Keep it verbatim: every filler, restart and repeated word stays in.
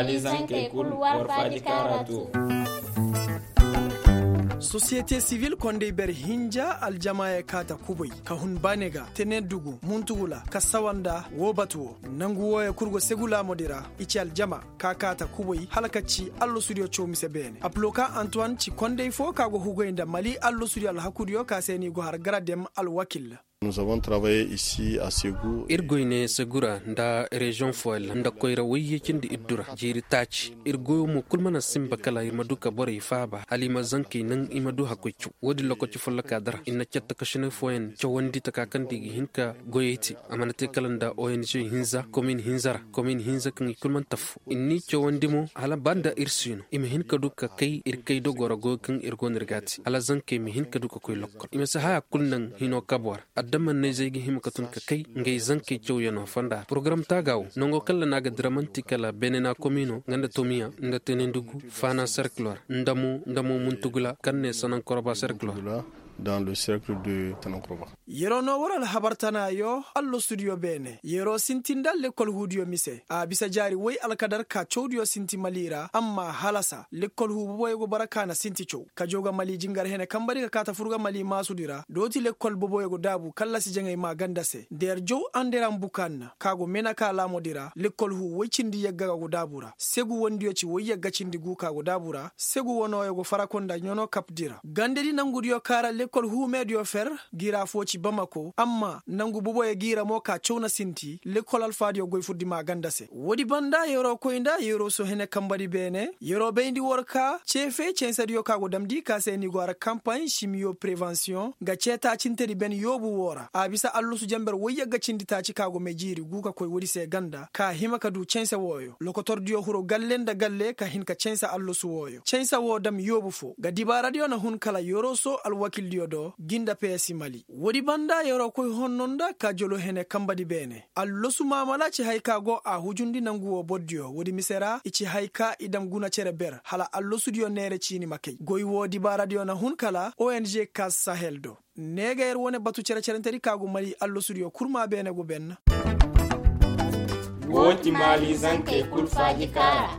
Alizankey kul war faaji kaara too. Sosiyete sivil kondey ber hinja aljamaaye kaata kubay ka hun baane ga tene dugu muntugula ka sawa nda woo batu woo. Nangu wooyo kul go segu laamudi ra i ci aljama ka kaata kubay hala ka ci allasudiyo caw mise beene aploka antuwan ci kondey foo ka go hugay nda mali allasudiyo alhakudiyo ka se no i go har garadem alwakil. Ir goy ne segura nda reziyoŋ fooyaŋ ra nda koyra woyyey cindi ir dura jiiri taaci ir goyo mo kul mana sinba kala ir ma du ka borey faaba hala i ma zankey naŋ i ma du hakkoy caw woodin lokaci follokaa dara ir na cattakasinay fooyaŋ cawandi taka kaŋ nda i ga hin ka goyey te a mana te kala nda ong hinza komin hinza ra komin hinza kaŋ i kul mana tafu ir n'i cawandi mo hala ba nda ir si no i ma hin ka du ka kay ir kay dogoo ra goyo kaŋ ir go no ir g'a te hala zankey ma hin ka du ka koy lokkol i ma si haya kul naŋ hinoo kaboo ra adamanney zey ga hima ka tun ka kay ngey zankey cawyanoo fonda ra porogaram taaga woo nangoo kaŋ ra no a ga dira man'ti kala benena komino nga nda tomiya nda tenendugu faana serkiloo ra nda mo nda mo muntugula kaŋ ne sanankoroba serkiloo ra. Yeroo noo war alhabar tanaayoo allasudiyo beene yeroo sinti nda lekkol huudiyo mise a bisa jaari woy alkadar ka cawdiyo sinti mali ra amma halasa lekkol huu boboyo go bara ka na sinti caw kajo ga mali jingar hene kambari ka kaa ta fur ga mali maasudi ra dooti lekkol boboyo go daabu kallasi jaŋay maaganda se nda yer jaw anderan bukaanna ka go mena ka laamudi ra lekkol huu woy cindi yagga ga go daabu ra segu wandiyo ci woy yagga cindi guu ka go daabu ra segu wanooyo go faraku nda ɲanoo kapdi ra gandedi nangudiyo ka ra lekkol huu meediyo fer giraa foo ci bamako amma nangu boboyo giira mo ka caw na sinti lekkol alfaadiyo goy furdi maaganda se woodi banda yeroo koy nda yeroo soo hene kambadi beene yeroo bayndi war ka ceefey ceensediyo ka go damndi ka se ni go har kampaaɲ simiyo prevensiyoŋ nga ceetaacintedi ben yoobu woo ra a bisa allusu jenber woyyagga cindi taaci ka go may jiiri guu ka koy woodi se ganda ka hima ka duu ceense wooyo lokotordiyo huru galle nda galle ka hin ka ceense allusu wooyo ceense woo dam yoobu foo nga dibaaradiyo na hun kala yeroo soo alwakildiyo do gi nda peyesi mali woodi banda yeroo koy honno nda ka jolo hene kambadi beene allosu maamala ci haya ka go a hujundi nangu woo bordiyo woodi mise ra i ci haya ka i dam guna cere ber hala allosudiyo neere ciini ma kay goy woo dibaaradiyo na hun kala ong kas sahel do ne ga yer wane batu cere-cerentedi ka go mali allosudiyo kurmaa beene go benna. Woo ti maali zankey kul faaji kaara.